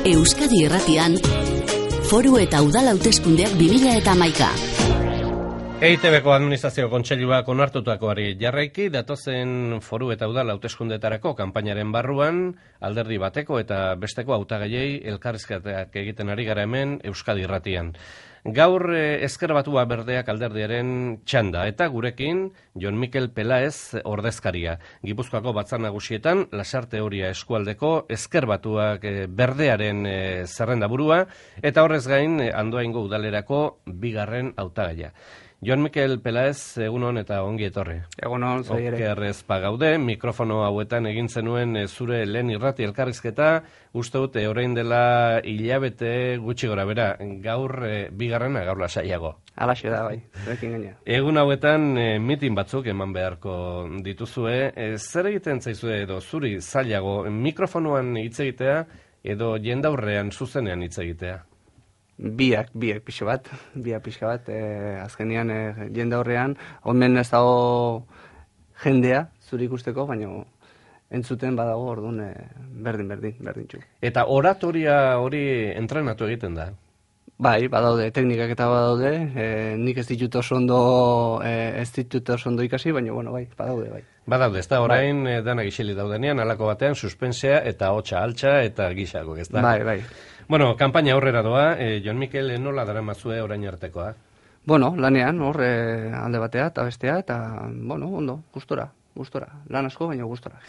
Euskadi Irratian, Foru eta Udal Hauteskundeak 2011. EITBko Administrazio Kontseiluak onartutakoari jarraiki, datozen Foru eta Udal hauteskundeetarako kanpainaren barruan, alderdi bateko eta besteko hautagaiei elkarrizketak egiten ari gara hemen Euskadi Irratian. Gaur Ezker Batua Berdeak alderdiaren txanda, eta gurekin Jon Mikel Pelaez ordezkaria. Gipuzkoako Batzar Nagusietan Lasarte Oria eskualdeko Ezker Batuak Berdearen zerrendaburua, eta horrez gain Andoaingo udalerako bigarren hautagaia. Jon Mikel Pelaez, egunon eta ongi etorri. Egunon, zoi ere. Okerrez pagaude, mikrofono hauetan egin zenuen zure lehen irrati elkarrizketa, uste dute orain dela hilabete gutxi gora bera, gaur bigarrena, gaur lasaiago. Alaxe da, bai, zurekin gaina. Egun hauetan mitin batzuk eman beharko dituzue, zer egiten zaizue edo zuri zailago mikrofonoan hitz egitea edo jendaurrean zuzenean hitz egitea? Biak pixka bat, azkenean jende horrean, omen ez dago jendea zuri ikusteko, baina entzuten badago orduan berdin txu. Eta oratoria hori entrenatu egiten da? Bai, badaude, teknikak eta badaude, nik ez ditut oso ondo ikasi, baina bueno, bai, badaude, bai. Badaude, ez da, orain danak isili daudenean, alako batean, suspensea eta hotxa altxa eta gixako, ez da? Bai. Bueno, kanpaina aurrera doa, Jon Mikel, nola daramazue orain artekoa? Bueno, lanean, alde batea eta bestea, eta, bueno, ondo, gustora, lan asko, baina gustora.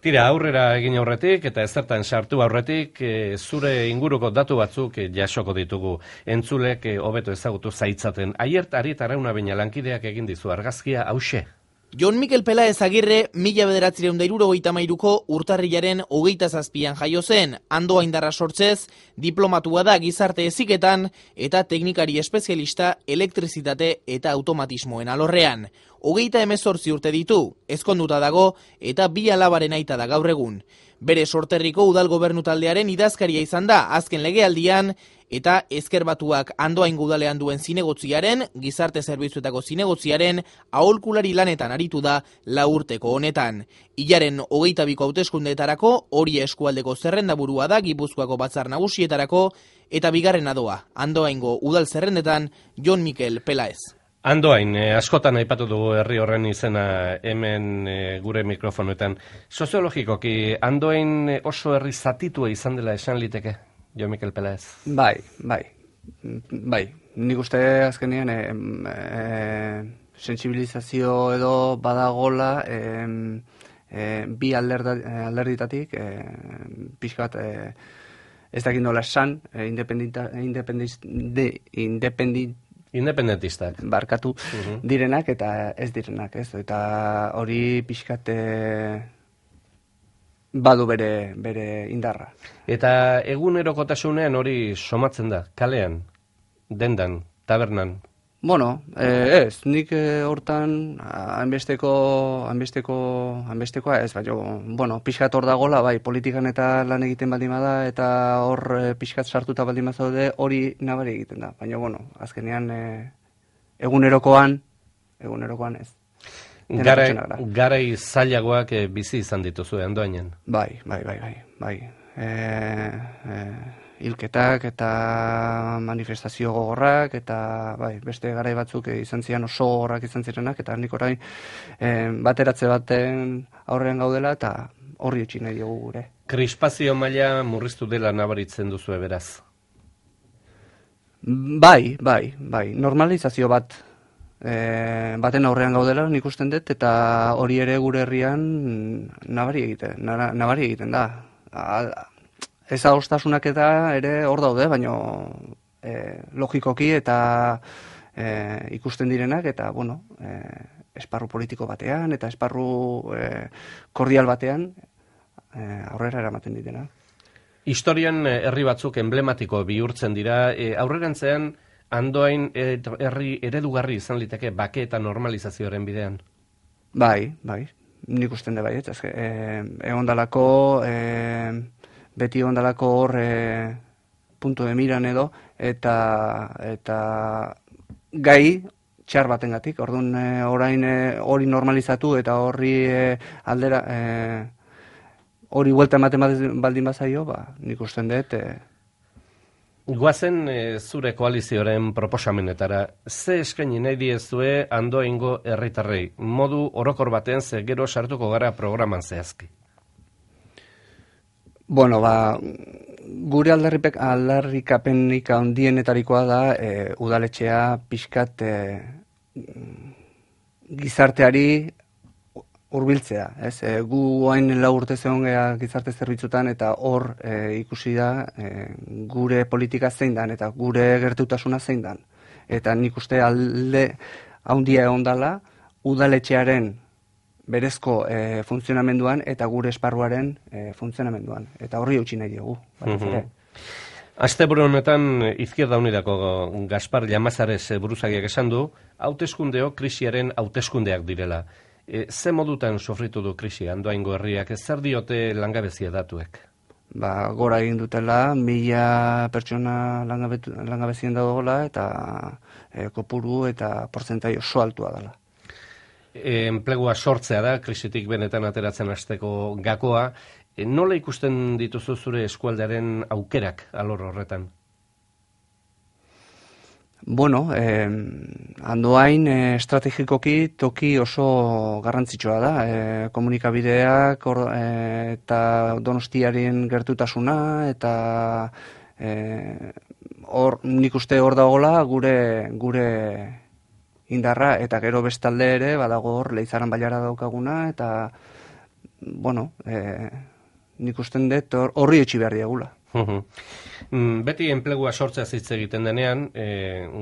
Tira, aurrera egin aurretik eta ezertan sartu aurretik, zure inguruko datu batzuk jasoko ditugu. Entzulek hobeto ezagutu zaitzaten. Aiert Arit Arauna Beña lankideak egin dizu argazkia hauxe. Jon Mikel Pelaez Agirre 1973ko urtarrilaren 27an jaio zen, Andoaindarra sortzez, diplomatua da gizarte heziketan eta teknikari espezialista elektrizitate eta automatismoen alorrean. 38 urte ditu, ezkonduta dago eta 2 alabaren aita da gaur egun. Bere sorterriko udal gobernu taldearen idazkaria izan da azken legealdian eta Ezker Batuak Andoaingo udalean duen zinegotziaren, gizarte zerbitzuetako zinegotziaren, aholkulari lanetan aritu da 4 urteko honetan. Hilaren 22ko hauteskundeetarako Oria eskualdeko zerrendaburua da Gipuzkoako Batzar Nagusietarako eta bigarrena doa Andoaingo udal zerrendetan Jon Mikel Pelaez. Andoain, askotan aipatu dugu herri horren izena hemen gure mikrofonoetan. Soziologikoki, Andoain oso herri zatitua izan dela esan liteke, Jon Mikel Pelaez? Bai. Nik uste azkenean sentsibilizazio edo badagola bi alderditatik pixkat ez dakit nola esan Independentistak. Barkatu direnak eta ez direnak, ez? Eta hori pixkat badu bere indarra. Eta egunerokotasunean hori somatzen da, kalean, dendan, tabernan? Bueno, ez, nik hortan hainbestekoa ez, baina, bueno, pixkat hor dagola, bai, politikan eta lan egiten baldin bada, eta hor pixkat sartuta baldin bazaude, hori nabari egiten da. Baina, bueno, azkenean egunerokoan ez. Garai zailagoak bizi izan dituzue Andoainen? Bai. Hilketak eta manifestazio gogorrak eta beste garai batzuk izan ziren oso gogorrak izan zirenak eta nik orain bateratze baten aurrean gaudela eta horri utzi nahi diogu gure. Krispazio maila murriztu dela nabaritzen duzue beraz? Bai, normalizazio baten aurrean gaudela nik usten dut eta hori ere gure herrian nabari egiten da. Ez adostasunak eta ere hor daude, baina logikoki eta ikusten direnak, eta bueno, esparru politiko batean eta esparru kordial batean aurrera eramaten ditena. Historian herri batzuk emblematiko bihurtzen dira, aurrerantzean Andoain herri eredugarri izan liteke bake eta normalizazioaren bidean? Bai, nik usten da bai, egon dalako... beti ondalako hor punto de miran edo, eta gai txar batengatik. Orduan orain hori normalizatu eta horri aldera hori buelta ematen baldin bazaio, nik usten dut, Guazen zure koalizioaren proposamenetara, ze eskaini nahi diezue Andoaingo herritarrei, modu orokor baten ze gero sartuko gara programan zehazki? Bueno, gure aldarrikapenik handienetarikoa da udaletxea pixkat gizarteari hurbiltzea, ez? Gu hain 4 urte zegoen gizarte zerbitzutan eta hor ikusi da gure politika zein dan eta gure gertutasuna zein dan. Eta nik uste alde handia egon dela udaletxearen berezko funtzionamenduan eta gure esparruaren funtzionamenduan. Eta horri eutsi nahi diogu. Asteburu honetan Izquierda Unidako Gaspar Llamazares buruzagiak esan du, hauteskundeo krisiaren hauteskundeak direla. Ze modutan sofritu du krisi Andoaingo herriak, zer diote langabezia datuek? Gora egin dutela, 1000 pertsona langabezien dagoela eta kopuru eta portzentai oso altua dela. Enplegua sortzea da, krisitik benetan ateratzen hasteko gakoa. Nola ikusten dituzu zure eskualdearen aukerak alor horretan? Bueno, Andoain estrategikoki toki oso garrantzitsua da. Komunikabideak eta Donostiaren gertutasuna eta nik uste hor dagoela gure indarra eta gero bestalde ere badago hor Leizaran Bailara daukaguna eta bueno, nik usten dut horri etxi behar diagula. Beti enplegua sortzea hitz egiten denean,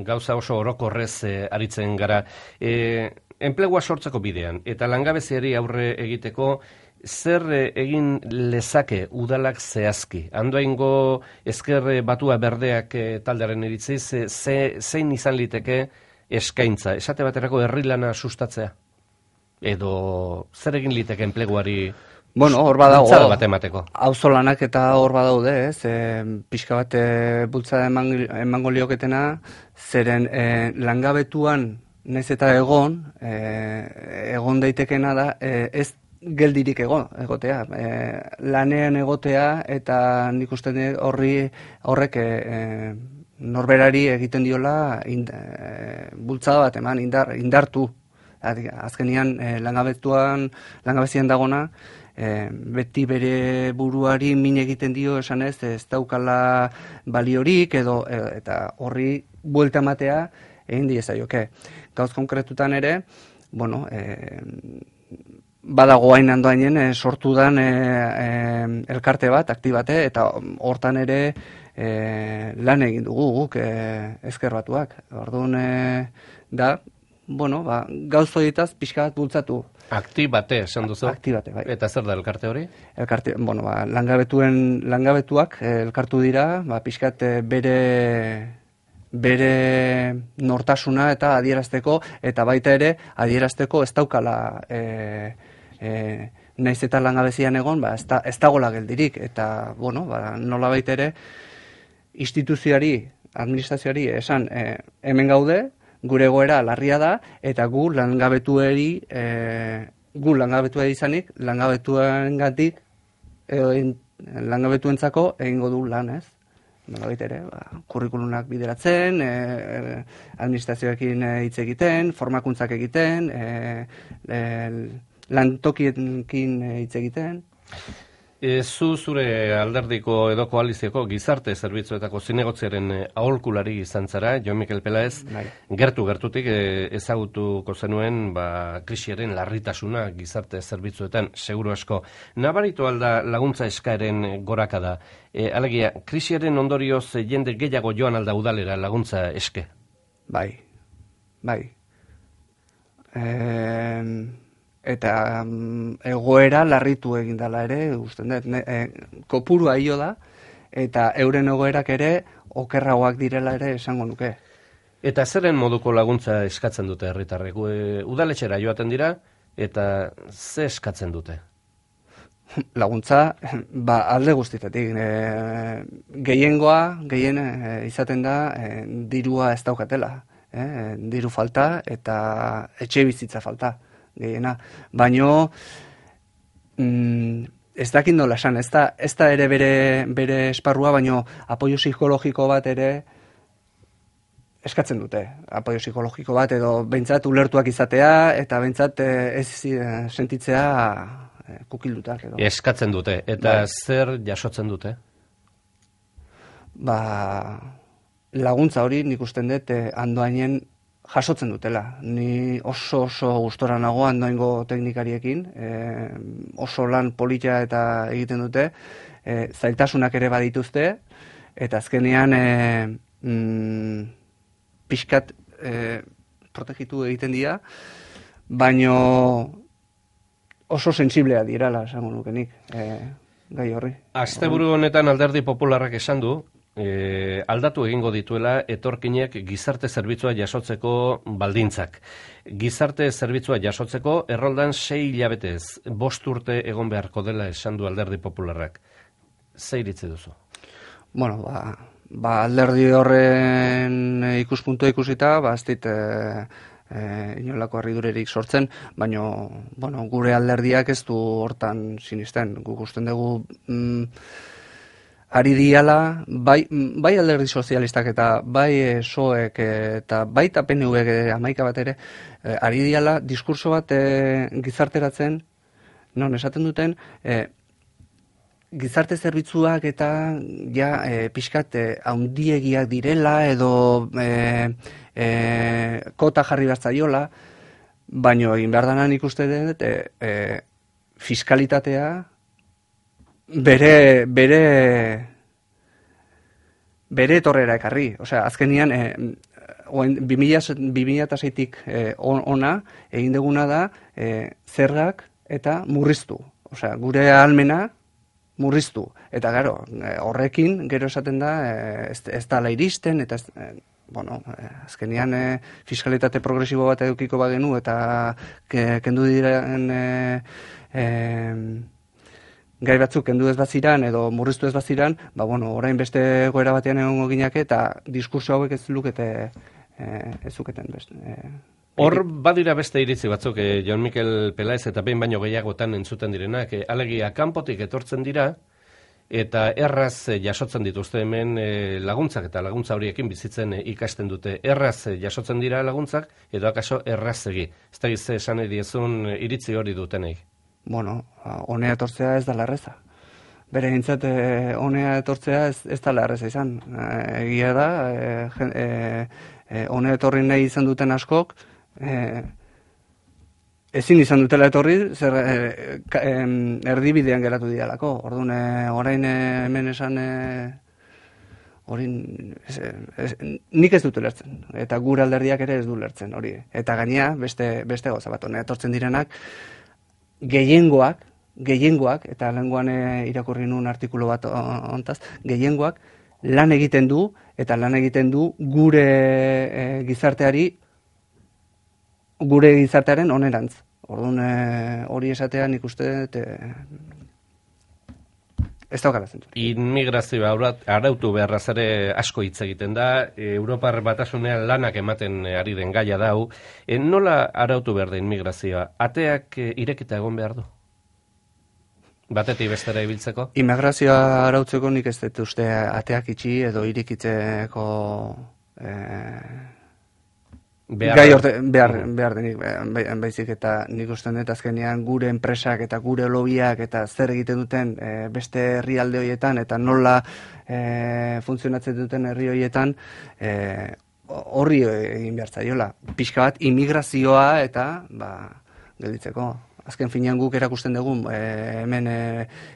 gauza oso orokorrez aritzen gara. Enplegua sortzeko bidean eta langabeziari aurre egiteko zer egin lezake udalak zehazki? Andoaingo Ezker Batua Berdeak taldearen iritziz, zein izan liteke eskaintza? Esate baterako herri lana sustatzea? Edo zer egin liteke enpleguari Bueno, hor badago, auzolanak eta hor badaude, ez, pixka bat bultzada emango lioketena, zeren langabetuan naiz eta egon daitekena da, ez geldirik egotea, lanean egotea eta nik uste horrek norberari egiten diola bultzada bat eman, indartu. Azkenian langabezian dagona, beti bere buruari min egiten dio esanez ez daukala baliorik eta horri buelta ematea egin diezaioke. Gauz konkretutan ere, bueno, badago hain Andoainen sortu dan elkarte bat, aktibate, eta hortan ere lan egin dugu guk Ezker Batuak. Orduan da, bueno, gauz horietaz pixka bat bultzatu. Aktibate, esan duzu? Aktibate, bai. Eta zer da elkarte hori? Elkarte, bueno, langabetuak elkartu dira, pixkat bere nortasuna eta adierazteko, eta baita ere adierazteko ez daukala naiz eta langabezian egon, ez dagoela geldirik, eta, bueno, nola baita ere instituzioari, administrazioari esan hemen gaude, gure egoera larria da, eta gu langabetua izanik, langabetuengatik langabetuentzako egingo du lan, ez? Nolabait ere, kurrikulunak bideratzen, administrazioekin hitz egiten, formakuntzak egiten, lantokiekin hitz egiten. Zu zure alderdiko edo koalizioko gizarte zerbitzuetako zinegotziaren aholkulari izan zara, Jon Mikel Pelaez, gertutik ezagutuko zenuen krisiaren larritasuna gizarte zerbitzuetan, seguru asko. Nabaritu alda laguntza eskaeren gorakada. Alegia, krisiaren ondorioz jende gehiago joan alda udalera laguntza eske? Bai. Eta egoera larritu egin dela ere, usten dut, kopurua hilo da, eta euren egoerak ere okerragoak direla ere esango nuke. Eta zeren moduko laguntza eskatzen dute herritarrek? Udaletxera joaten dira, eta ze eskatzen dute? Laguntza, alde guztitatik. Gehien izaten da, dirua ez daukatela. Diru falta eta etxe bizitza falta. Gehiena, baino ez dakit nola esan, ez da ere bere esparrua, baino apoio psikologiko bat ere eskatzen dute. Apoio psikologiko bat edo behintzat ulertuak izatea eta behintzat ez sentitzea kukildutak. Edo. Eskatzen dute, eta zer jasotzen dute? Laguntza hori nik usten dut Andoainen jasotzen dutela. Ni oso gustora nago Andoaingo teknikariekin, oso lan polita eta egiten dute, zailtasunak ere badituzte, eta azkenean pixkat protegitu egiten dira, baino oso sensiblea dirala, esango nukenik, gai horri. Asteburu honetan Alderdi Popularrak esan du, aldatu egingo dituela etorkinek gizarte zerbitzua jasotzeko baldintzak. Gizarte zerbitzua jasotzeko erroldan 6 hilabetez, 5 urte egon beharko dela esan du Alderdi Popularrak. Ze iritzi duzu? Bueno, alderdi horren ikuspuntua ikusita, ez dit inolako harridurerik sortzen, baina gure alderdiak ez du hortan sinisten. Guk usten dugu ari diala, bai alderdi sozialistak eta bai SOEk eta baita PNVek 11 bat ere, ari diala diskurso bat gizarteratzen, non esaten duten, gizarte zerbitzuak eta pixkat haundiegiak direla edo kota jarri bertzaiola, baino egin behar danan ikuste dut fiskalitatea bere etorrera ekarri. Osea, azkenian 2006tik ona egin duguna da zergak eta murriztu. Osea, gure ahalmena murriztu. Eta gero, horrekin gero esaten da ez dala iristen eta azkenian fiskalitate progresibo bat edukiko bagenu eta kendu diren gai batzuk kendu ez baziran edo murriztu ez baziran, orain beste goera batean egongo ginake eta diskurso hauek ez zuketen beste. Hor badira beste iritzi batzuk, Jon Mikel Pelaez eta behin baino gehiagotan entzuten direnak, alegia kanpotik etortzen dira eta erraz jasotzen dituzte hemen laguntzak eta laguntza horiekin bizitzen ikasten dute. Erraz jasotzen dira laguntzak edo akaso errazegi. Ez da gizte esan ediezun iritzi hori dutenei. Honea etortzea ez dala erreza. Bere gintzat, honea etortzea ez dala erreza izan. Egia da, honea etorri nahi izan duten askok, ezin izan dutela etorri, zer erdibidean geratu dialako. Orduan, orain hemen esan, nik ez dut lertzen, eta gure alderdiak ere ez du lertzen hori. Eta gainea, beste gauza bat, honea etortzen direnak, gehiengoak, eta lenguan irakurri nuen artikulu bat ontaz, gehiengoak lan egiten du, eta lan egiten du gure gizartearen onerantz. Orduan hori esatea nik uste ez daukala zentu. Inmigrazioa arautu beharraz ere asko hitz egiten da, Europar Batasunean lanak ematen ari den gaia dau. Nola arautu behar da inmigrazioa? Ateak irekita egon behar du? Batetik bestera ibiltzeko? Inmigrazioa arautzeko nik ez dut uste ateak itxi edo irekitzeko behar denik, baizik eta nik usten dut azkenean gure enpresak eta gure lobiak eta zer egiten duten beste herrialde horietan eta nola funtzionatzen duten herri horietan horri egin behar zaiola. Pixka bat immigrazioa eta gelditzeko. Azken finean guk erakusten dugu hemen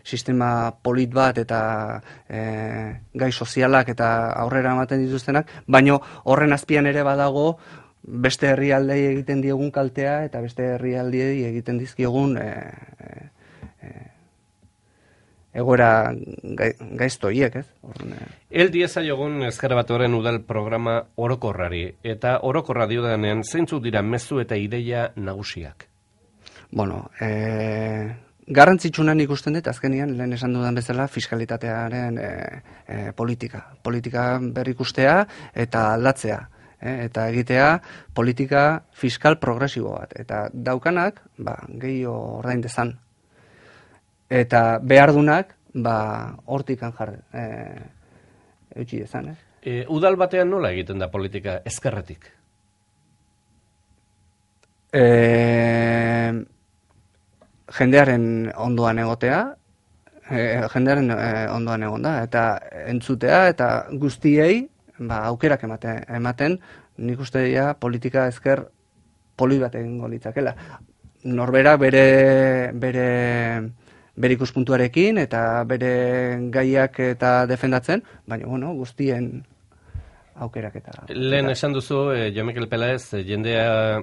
sistema polit bat eta gai sozialak eta aurrera ematen dituztenak, baino horren azpian ere badago beste herrialdei egiten diogun kaltea eta beste herrialdei egiten dizkiogun egoera gaizto hiek, ez? El diezaiogun Ezker Batuaren udal programa orokorrari, eta orokorra diodanean zeintzuk dira mezu eta ideia nagusiak? Garrantzitsunan ikusten dut, azkenian, lehen esan dudan bezala, fiskalitatearen politika berrikustea eta aldatzea. Eta egitea politika fiskal progresibo bat. Eta daukanak, gehiago ordain dezan. eta behardunak, hortikan eutxi dezan, Udal batean nola egiten da politika ezkerretik? Jendearen ondoan egotea, ondoan egon da, eta entzutea, eta guztiei aukerak ematen, nik uste dira politika ezker polit bat egingo litzakela. Norbera bere ikuspuntuarekin eta bere gaiak eta defendatzen, baina guztien aukerak eta... Lehen esan duzu, Jo Mikel Pelaez, jendea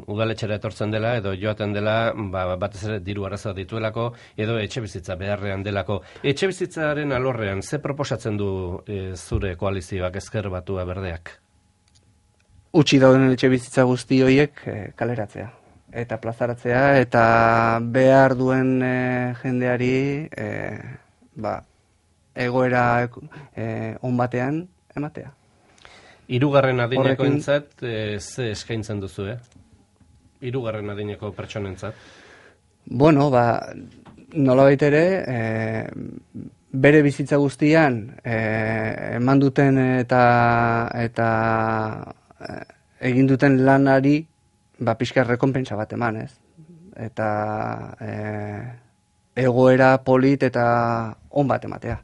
udaletxera etortzen dela, edo joaten dela, batez ere diru arazoa dituelako, edo etxe bizitza beharrean delako. Etxe bizitzaren alorrean, ze proposatzen du zure koalizioak ezker batua berdeak? Utsi dauden etxe bizitza guzti horiek kaleratzea. Eta plazaratzea, eta behar duen jendeari egoera on batean ematea. Hirugarren adinekoentzat ze eskaintzen duzu, Hirugarren adineko pertsonentzat? Nolabait ere, bere bizitza guztian eman duten eta egin duten lanari pixka rekonpentsa bat eman, ez? Eta egoera polit eta on bat ematea.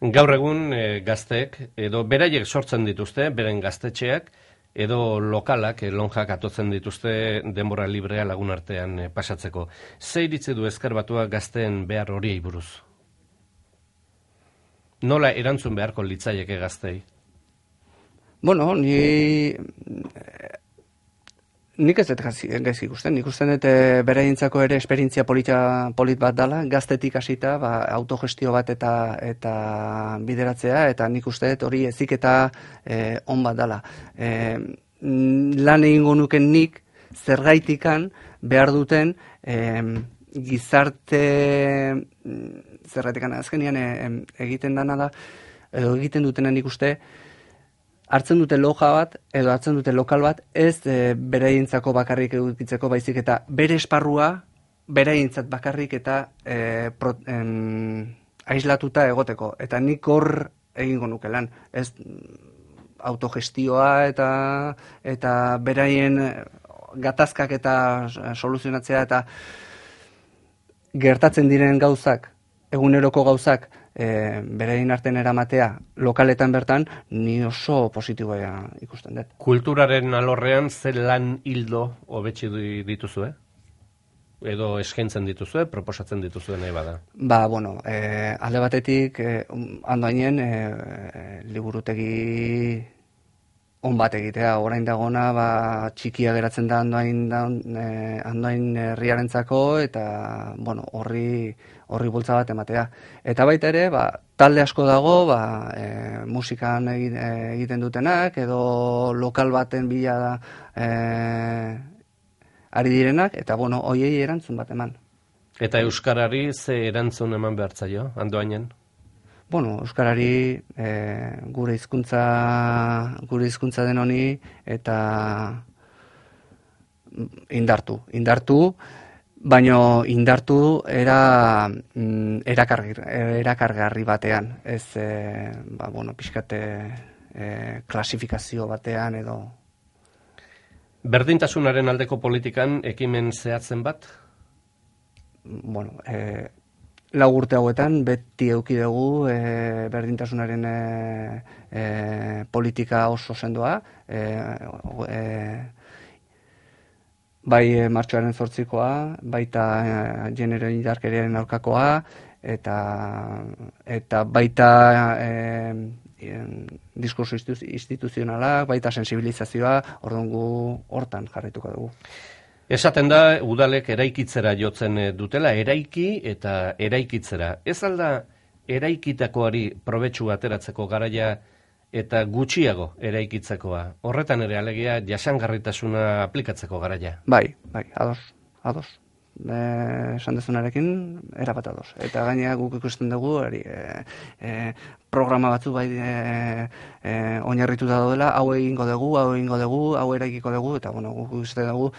Gaur egun gazteek, edo beraiek sortzen dituzte, beren gaztetxeak, edo lokalak, lonjak atotzen dituzte denbora librea lagun artean pasatzeko. Ze iritzi du ezker batua gazteen behar horiei buruz? Nola erantzun beharko litzaieke gaztei? Nik ez dut gaizki ikusten. Nik usten dut beraientzako ere esperientzia polit bat dela, gaztetik hasita autogestio bat eta bideratzea, eta nik uste dut hori heziketa on bat dela. Lan egingo nuken nik zergaitikan behar duten gizarte zergaitikan azkenian egiten dana da, edo egiten dutena nik uste, hartzen dute loja bat, edo hartzen dute lokal bat, ez beraientzako bakarrik edukitzeko baizik eta bere esparrua beraientzat bakarrik eta aislatuta egoteko. Eta nik hor egingo nuke lan. Ez autogestioa eta beraien gatazkak eta soluzionatzea eta gertatzen diren gauzak, eguneroko gauzak, beraien artean eramatea lokaletan bertan, ni oso positiboa ikusten dut. Kulturaren alorrean ze lan hildo hobetsi dituzue? Edo eskaintzen dituzue, proposatzen dituzue nahi bada? Alde batetik, Andoainen liburutegi on bat egitea, orain dagona txikia geratzen da Andoain herriarentzako, eta horri bultza bat ematea. Eta baita ere, talde asko dago, musikan egiten dutenak, edo lokal baten bila ari direnak, eta hoiei erantzun bat eman. Eta euskarari ze erantzun eman behartzaio, Andoainen? Euskarari gure hizkuntza den honi eta indartu, baino indartu erakargarri batean, ez pixkate klasifikazio batean edo. Berdintasunaren aldeko politikan ekimen zehatzen bat? Lau urte hauetan beti eduki dugu berdintasunaren politika oso sendoa, bai martxoaren 8koa, baita genero indarkeriaren aurkakoa, eta baita diskurso instituzionala, baita sensibilizazioa, orduan gu hortan jarraituko dugu. Esaten da, udalek eraikitzera jotzen dutela, eraiki eta eraikitzera. Ez alda eraikitakoari probetxu ateratzeko garaia eta gutxiago eraikitzekoa? Horretan ere alegia jasangarritasuna aplikatzeko garaia? Bai, ados. Esan dezunarekin, erabat ados. Eta gainera guk ikusten dugu, programa batzu oinarrituta daudela, hau egingo dugu, hau eraikiko dugu, eta guk ikusten dugu,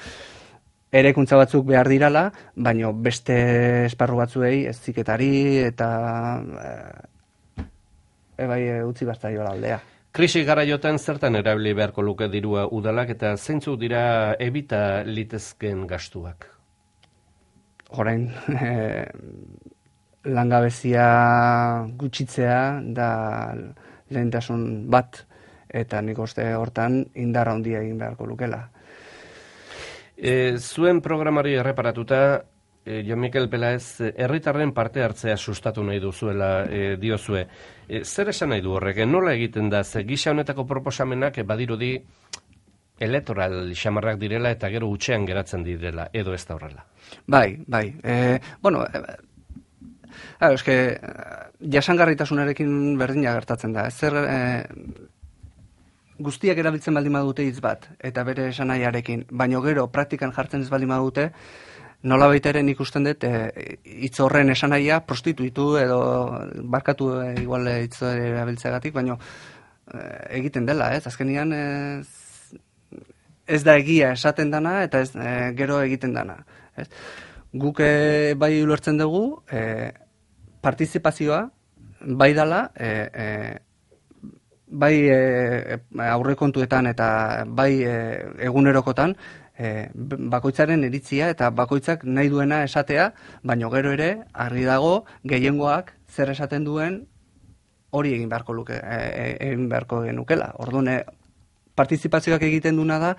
erekuntza batzuk behar dirala, baino beste esparru batzuei eziketari eta utzi baztaiola aldea. Krisi garaiotan zertan erabili beharko luke dirua udalak eta zeintzuk dira ebita litezkeen gastuak? Orain, langabezia gutxitzea da lehentasun bat, eta nik uste hortan indar handia egin beharko lukela. Zuen programari erreparatuta, Jon Mikel Pelaez, herritarren parte hartzea sustatu nahi duzuela diozue. Zer esan nahi du horrek? Nola egiten da? Gisa honetako proposamenak badirudi elektoral xamarrak direla eta gero hutsean geratzen direla, edo ez da horrela? Bai. Eske, jasangarritasunarekin berdina gertatzen da. Guztiak erabiltzen baldin badute hitz bat, eta bere esanahiarekin, baino gero praktikan jartzen ez baldin badute, nolabait ere nik usten dut hitz horren esanahia prostituitu edo barkatu igual hitz erabiltzeagatik, baino egiten dela, ez? Azkenian ez da egia esaten dana eta ez gero egiten dana, ez? Guk bai ulertzen dugu partizipazioa bai dala bai aurrekontuetan eta bai egunerokotan bakoitzaren iritzia eta bakoitzak nahi duena esatea, baino gero ere argi dago gehiengoak zer esaten duen hori egin beharko genukela. Orduan partizipazioak egiten duna da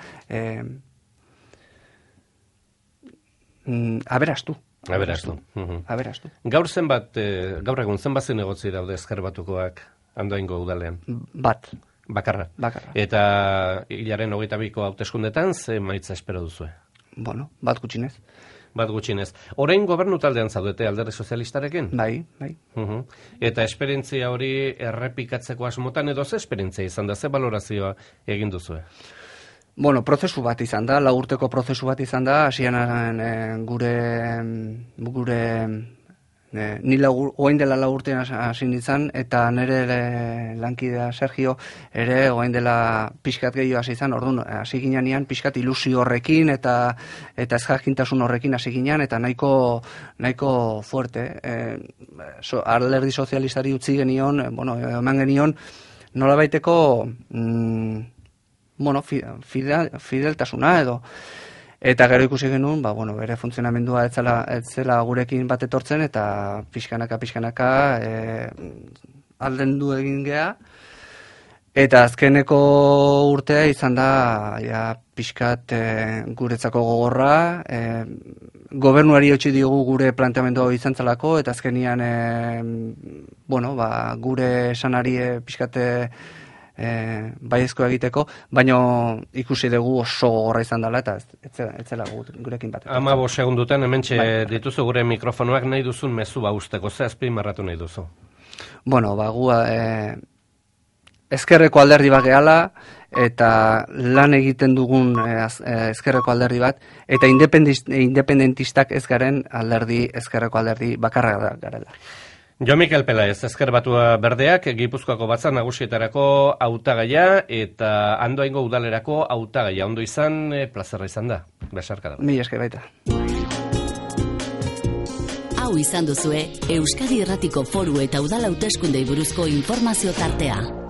aberastu. Gaur egun zenbat zinegotzi daude Ezker Batukoak Andoaingo udalean? Bat. Bakarra. Eta hilaren 22ko hauteskundetan ze emaitza espero duzue? Bueno, bat gutxinez. Orain gobernu taldean zaudete Alderdi Sozialistarekin? Bai. Eta esperientzia hori errepikatzeko asmotan edo ze esperientzia izan da, ze balorazioa egin duzue? Bueno, prozesu bat izan da, 4 urteko prozesu bat izan da, hasian gure ni orain dela 4 urtean hasi nintzen, eta nire lankidea Sergio ere orain dela pixkat gehiago hasi izan, orduan hasi ginean pixkat ilusio horrekin eta ezjakintasun horrekin hasi ginean, eta nahiko fuerte. Alderdi Sozialistari utzi genion, eman genion nolabaiteko fideltasuna edo. Eta gero ikusi genuen, bere funtzionamendua ez zela gurekin bat etortzen, eta pixkanaka aldendu egin gea. Eta azkeneko urtea izan da pixkat guretzako gogorra, gobernuari eutsi diogu gure planteamendua izan zelako, eta azkenian gure esanari pixkat baiezko egiteko, baino ikusi dugu oso gogorra izan dela eta ez zela gurekin bat. 15 segundutan hementxe dituzu gure mikrofonoak, nahi duzun mezu usteko, ze azpimarratu nahi duzu? Gu ezkerreko alderdi bat gehala, eta lan egiten dugun ezkerreko alderdi bat, eta independentistak ez garen ezkerreko alderdi bakarra garela. Jon Mikel Pelaez, Ezker Batua Berdeak, Gipuzkoako Batzar Nagusietarako hautagaia eta Andoaingo udalerako hautagaia. Ondo izan, plazerra izan da. Besarka da. Mila esker baita. Hau izan duzue, Euskadi Irratiko Foru eta Udal Hauteskundei buruzko informazio tartea.